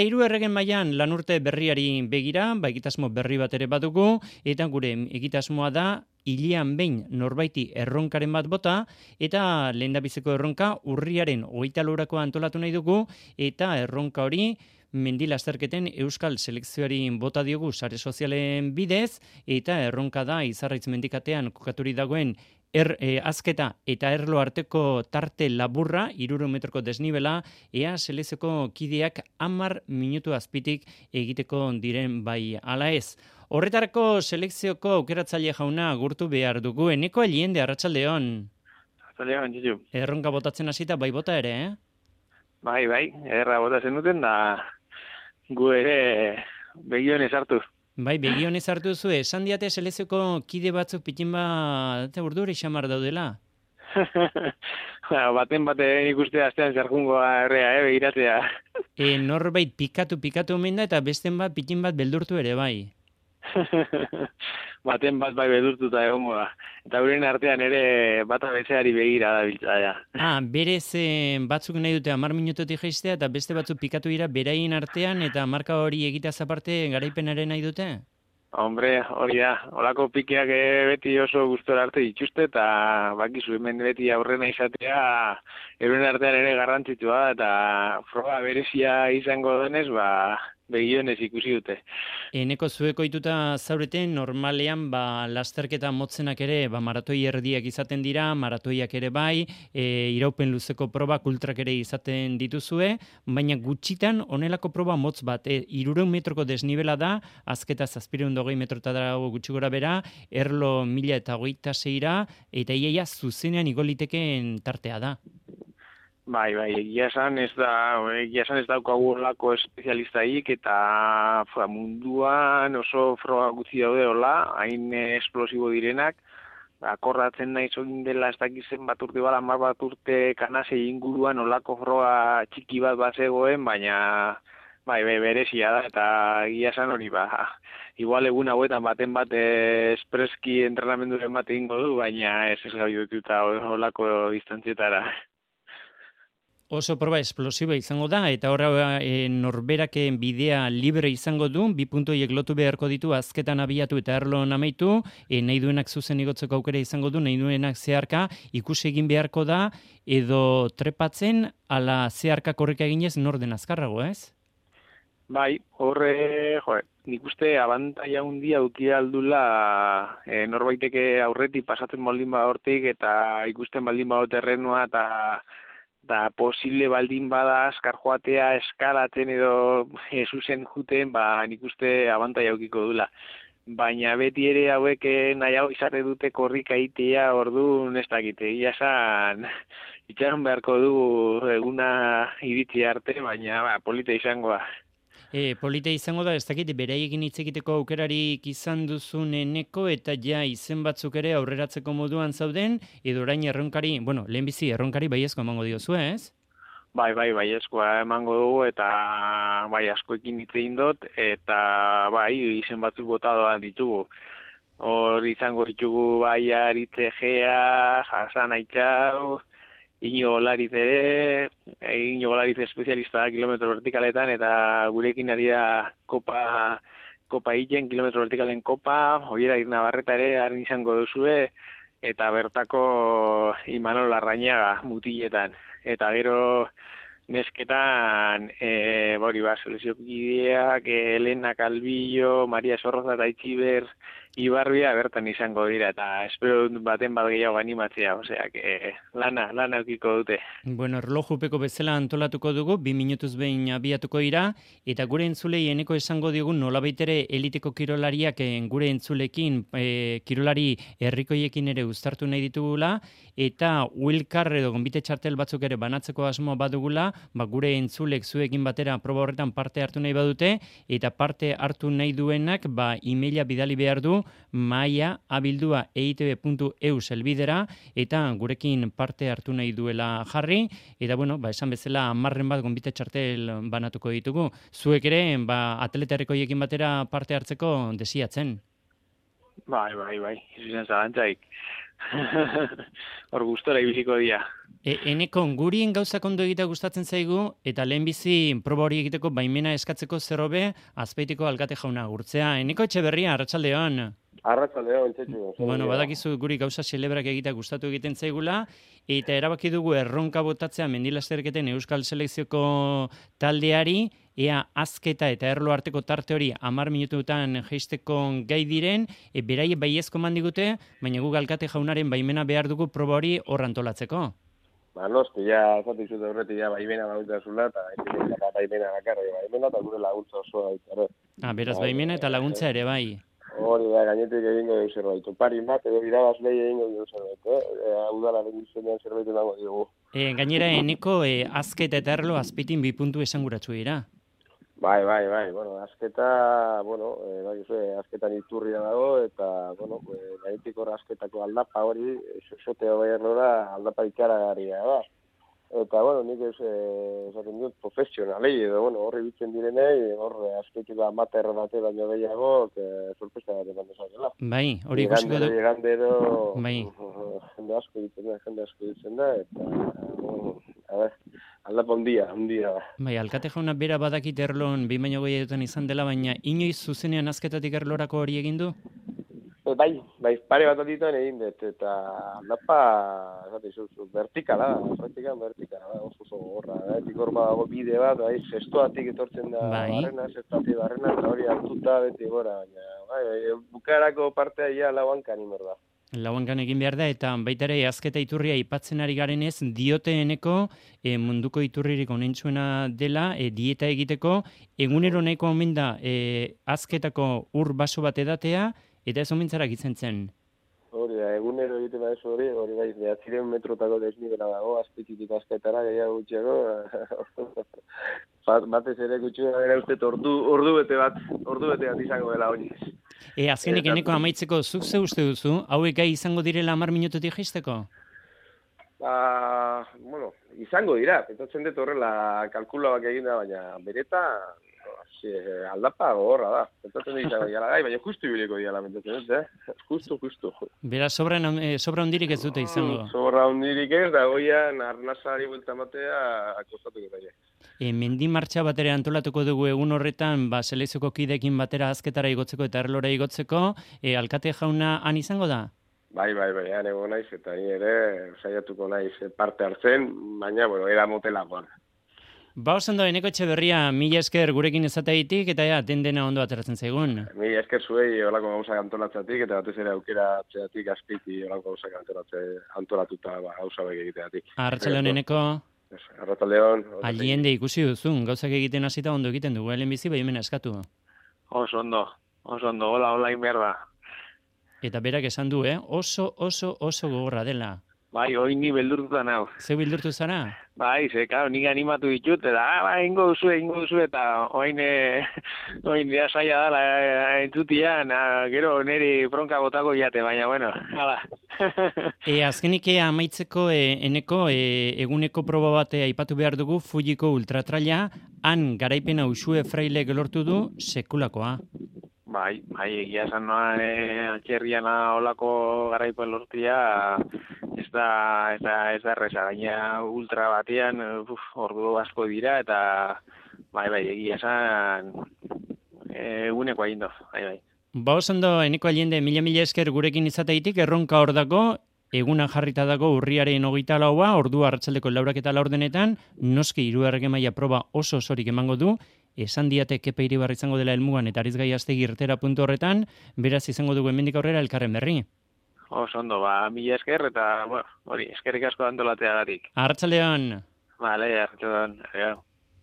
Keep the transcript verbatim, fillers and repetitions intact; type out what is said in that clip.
Hiru erregen mailan lanurte berriari begira, ba, egitasmo berri bat ere badugu, eta gure egitasmoa da hilean behin norbaiti erronkaren bat bota, eta lehendabiziko erronka urriaren hogeita laurako antolatu nahi dugu, eta erronka hori mendi lasterketen euskal selekzioari bota diogu sare sozialen bidez, eta erronka da Izarraitz mendikatean kokaturi dagoen Er, e, azketa eta erlo arteko tarte laburra, hirurehun metroko desnibela, ea selezioko kideak hamar minutu azpitik egiteko diren bai ala ez. Horretarako selekzioko aukeratzaile jauna gurtu behar dugu. Eneko Aliende, arratsaldeon. Arratsaldeon, Txitu. Erronka botatzen hasita bai bota ere, eh? Bai, bai, erra botatzen duten da gu ere begioen ezartu. Bai, begionez hartu zu, esan diate selezioko kide batzuk pitin bat urdure xamar daudela. Baten baten ikuste astean zerjungoa errea, eh, begiratzea. E, norbait pikatu pikatu omen da eta besten bat pitin bat beldurtu ere bai. Baten bat bai beldurtuta egongo da. Eta euren artean ere bata bezeari begira da biltzaia. Ah, berez eh, batzuk nahi dute hamar minutotik jaistea eta beste batzuk pikatu dira beraien artean eta marka hori egiteaz aparte garaipenaren nahi dute? Hombre, hori da, holako pikeak beti oso gustora arte dituzte eta bakizu hemen beti aurrena izatea euren artean ere garrantzitsua eta froga berezia izango denez, ba begionez ikusi dute. Eneko zueko ituta zaureten normalean ba, lasterketa motzenak ere ba, maratoi erdiak izaten dira, maratoiak ere bai, e, iraupen luzeko probak ultrak ere izaten dituzue, baina gutxitan honelako proba motz bat, e, hirurehun metroko desnibela da, azketa zazpireun dogei metrota dago gutxi gora bera, erlo mila eta hogeita seira, eta iaia zuzenean igolitekeen tartea da. Bai, bai, egia esan ez da, egia esan ez daukagu olako espezialistaik eta fra, munduan oso froga gutxi daude hola, hain esplosibo direnak, akordatzen nahi zoin dela ez dakizen bat urte bala, mar bat urte kanasei inguruan olako froga txiki bat bat zegoen, baina bai, bai, berezia da eta egia esan hori ba, igual egun hauetan baten bat espreski entrenamenduren bat egingo du, baina ez ez gai dututa olako distantzietara. Oso proba esplosiba izango da, eta horra e, norberak bidea libre izango du, bi puntoiek lotu beharko ditu, azketan abiatu eta erloan amaitu, e, nahi duenak zuzen igotzeko aukera izango du, nahi duenak zeharka, ikusi egin beharko da, edo trepatzen, ala zeharka korrika eginez norden azkarrago, ez? Bai, horre, jo, nik uste abantaia handia auki aldula e, norbaiteke aurretik pasatzen baldin ba hortik, eta ikusten baldin ba terrenua, eta da posible baldin bada azkar joatea eskalatzen edo Jesusen juten, ba nik uste abantaia aukiko dula. Baina beti ere hauek nahiago izate dute korrika itea, orduan ez dakite. Ia esan, itxaron beharko du eguna iritsi arte, baina ba, polita izangoa. E, polite izango da, ez dakit, beraiekin hitz egiteko aukerarik izan duzun Eneko eta ja izen batzuk ere aurreratzeko moduan zauden, edo orain erronkari, bueno, lehenbizi erronkari baiezko emango diozu, ez? Bai, bai, baiezkoa emango dugu eta bai askoekin hitz egin dut eta bai izen batzuk bota doa ditugu. Hor izango ditugu bai Aritze Gea, Hasan Aitxau, Iñigo Olariz ere, Iñigo Olariz espezialista da kilometro vertikaletan, eta gurekin ari da kopa, kopa hiten, kilometro vertikalen kopa, Oiera Irnabarreta ere haren izango duzue, eta bertako Imanol Larrañaga mutiletan. Eta gero nesketan, e, bori ba, seleziokideak, Elena Calvillo, Maria Sorroza eta Itxiber, Ibarbia bertan izango dira, eta espero baten bat gehiago animatzea, osea, que lana, lana eukiko dute. Bueno, erlojupeko bezala antolatuko dugu, bi minutuz behin abiatuko dira, eta gure entzulei Eneko esango diogu nolabait ere eliteko kirolariak gure entzulekin, e, kirolari herrikoiekin ere uztartu nahi ditugula, eta Wilkar edo gonbite txartel batzuk ere banatzeko asmoa badugula, ba, gure entzulek zuekin batera proba horretan parte hartu nahi badute, eta parte hartu nahi duenak, ba, emaila bidali behar du, maia abildua eitb puntu eus elbidera, eta gurekin parte hartu nahi duela jarri, eta bueno, ba, esan bezala hamarren bat gonbite txartel banatuko ditugu. Zuek ere, ba, atleta herrikoiekin batera parte hartzeko desiatzen. Bai, bai, bai, izan zalantzaik. Hor gustora ibiliko dia. E, eneko, gurien gauzak ondo egitea gustatzen zaigu, eta lehenbizi proba hori egiteko baimena eskatzeko zerrobe, Azpeitiko alkate jauna gurtzea. Eneko Etxeberria, arratsaldeon. Arratsaldeon, Txetxu. Bueno, badakizu guri gauza celebrak egitea gustatu egiten zaigula, eta erabaki dugu erronka botatzea mendilasterketen Euskal Selekzioko taldeari, ea azketa eta erlo arteko tarte hori hamar minututan jeisteko gai diren, e, beraie baiezko mandigute, baina guk alkate jaunaren baimena behar dugu proba hori hor antolatzeko. Ba, noski, ja, zatik zute horretik, ja, baimena bautazula, eta baimena bakarra, baimena, eta gure laguntza osoa baita. Ah, beraz, baimena eta laguntza ere, bai. Hori da, gainetik egingo dugu zerbait. Pari bat, edo irabazlei egingo dugu zerbait, eh? Udalaren izenean zerbait emango dugu. E, gainera, eneko, e, azketa eta erlo azpitin bi puntu esanguratsu dira. Bai, bai, bai, bueno, azketa, bueno, eh, bai, zue, azketan iturria dago, eta, bueno, eh, gainetik hor azketako aldapa hori, soteo bai erlora aldapa ikaragarria da. Eta, bueno, nik ez, eh, esaten dut, profesionalei, edo, bueno, horri bitzen direnei, hor, azkeitiko amaterra bate baino gehiago, eh, sorpresa bat eman dezakela. Bai, hori ikusiko du. Igandero, bai. Jende asko ditzen da, jende asko ditzen da, eta, bueno, a ver, aldapa hundia, hundia da. Bai, alkate jauna bera badakit erlon behin baino gehiagotan izan dela, baina inoiz zuzenean azketatik erlorako hori egin du? Bai, bai, pare bat aditan egin dut, eta aldapa, esate zuzu, vertikala da, vertikan vertikala da, oso oso gorra, etik hor badago bide bat, bai, zestoatik etortzen da bai. barrena, zestoatik barrena, eta hori hartuta beti gora, baina, bai, bai, bukarako partea ia lauankan imer da. Lauankan egin behar da, eta baita ere azketa iturria aipatzen ari garenez, dioteeneko e, munduko iturririk onentsuena dela, e, dieta egiteko, egunero nahiko omen da e, azketako ur baso bat edatea, eta ez omentzara gitzen zen. Hori da, egunero egiten da ez hori, hori bai, behatziren metrotako desnibela dago, azpititik azketara, gehiago gutxiago, batez ere gutxiago gara uste ordu, ordu bete bat, ordu bete bat izango dela hori. E, azkenik eneko amaitzeko, zuk ze uste duzu, hauek gai izango direla hamar minututik jaisteko? Ba, bueno, izango dira, pentsatzen dut horrela kalkulabak egin da, baina bereta, aldapa gogorra da. Pentsatzen dut izango diala gai, baina justu ibiliko diala, pentsatzen dut, eh? Justu, justu. Bera, sobra, eh, sobra hundirik ez dute izango? Sobra hundirik ez, da goian arnazari buelta matea akostatuko daia. E, mendi martxa batera antolatuko dugu egun horretan, ba, selekzioko kidekin batera azketara igotzeko eta erlora igotzeko, e, alkate jauna han izango da? Bai, bai, bai, han ego naiz, eta ni ere saiatuko naiz parte hartzen, baina, bueno, era motelakoan. Ba, osando, Eneko Etxeberria, mila esker gurekin ezateitik, eta ja, den dena ondo ateratzen zaigun. Mila esker zuei olako gauzak antolatzatik, eta batez ere aukera atzeatik azpiti olako gauzak antolatuta ba, gauza bek egiteatik. Arratsaldeon, Eneko. Arratsaldeon. Aliende ikusi duzun, gauzak egiten hasita ondo egiten dugu, helen bizi baimena eskatu. Oso ondo, oso ondo, hola, hola inberda. Eta berak esan du, eh? oso, oso, oso gogorra dela. Bai, hoi ni beldurtuta nau. Zeu bildurtu zara? Bai, ze, claro, nik animatu ditut, eta, ah, ba, ingo duzu, ingo duzu, eta oin, eh, oin, ja saia dala, eh, entzutian, ah, gero niri bronka botako jate, baina, bueno, hala. e, azkenik amaitzeko, e, eneko, e, eguneko proba bate aipatu behar dugu, Fujiko ultratraila, han garaipena Uxue Frailek lortu du, sekulakoa. Bai, bai, egia esan noa, e, atxerriana olako garaipen lortia, ez da, ez da, ez da erresa, gaina ultra batean, uf, ordu asko dira, eta, bai, bai, egia esan, eguneko egin do, bai, bai. Ba, osando, Eneko Aliende, mila-mila esker gurekin izateitik, erronka hor dago, eguna jarrita dago urriaren hogeita laua, ordu arratsaldeko laurak eta laurdenetan, noski hiru erregemaia proba oso osorik emango du, esan diate Kepa Iribar izango dela helmugan eta Arizgai Astegi irtera puntu horretan, beraz izango dugu hemendik aurrera elkarren berri. Oso ondo, ba, mila esker eta, bueno, hori, eskerrik asko antolateagatik. Arratsaldeon. Vale, arratsaldeon, adiós.